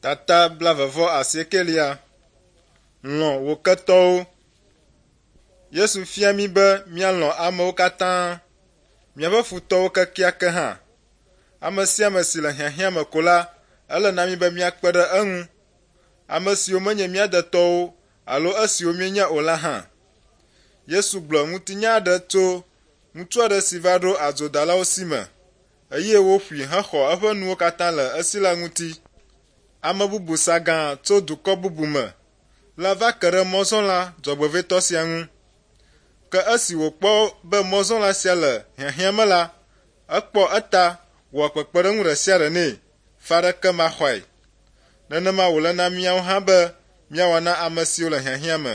Tata blaeve-vɔ-asiekelia. Lɔ̃ wò ketɔwo. Yesu fia mí be míalɔ̃ amewo katã, míaƒe futɔwo kekeake hã. Ame sia ame si le hiahiã me ko la, ele na mí be míakpe ɖe eŋu. Ame siwo menye mía detɔwo alo esiwo míenya o la hã. Yesu gblɔ ŋutinya aɖe tso ŋutsu aɖe si va ɖo adzodalawo si me eye woƒoe hexɔ eƒe nuwo katã le esi la ŋuti. Ame bubu sa gã tso dukɔ bubu me la va ke ɖe mɔzɔla dzɔgbevɔ̃etɔ sia ŋu. Ke esi wòkpɔ be mɔzɔla sia le hiahiã me la, ekpɔ eta wɔ kpekpeɖeŋu ɖe sia ɖe nɛ, fe aɖeke maxɔe. Nenema wòle na míawo hã be míawɔ na ame siwo le hiahiã me.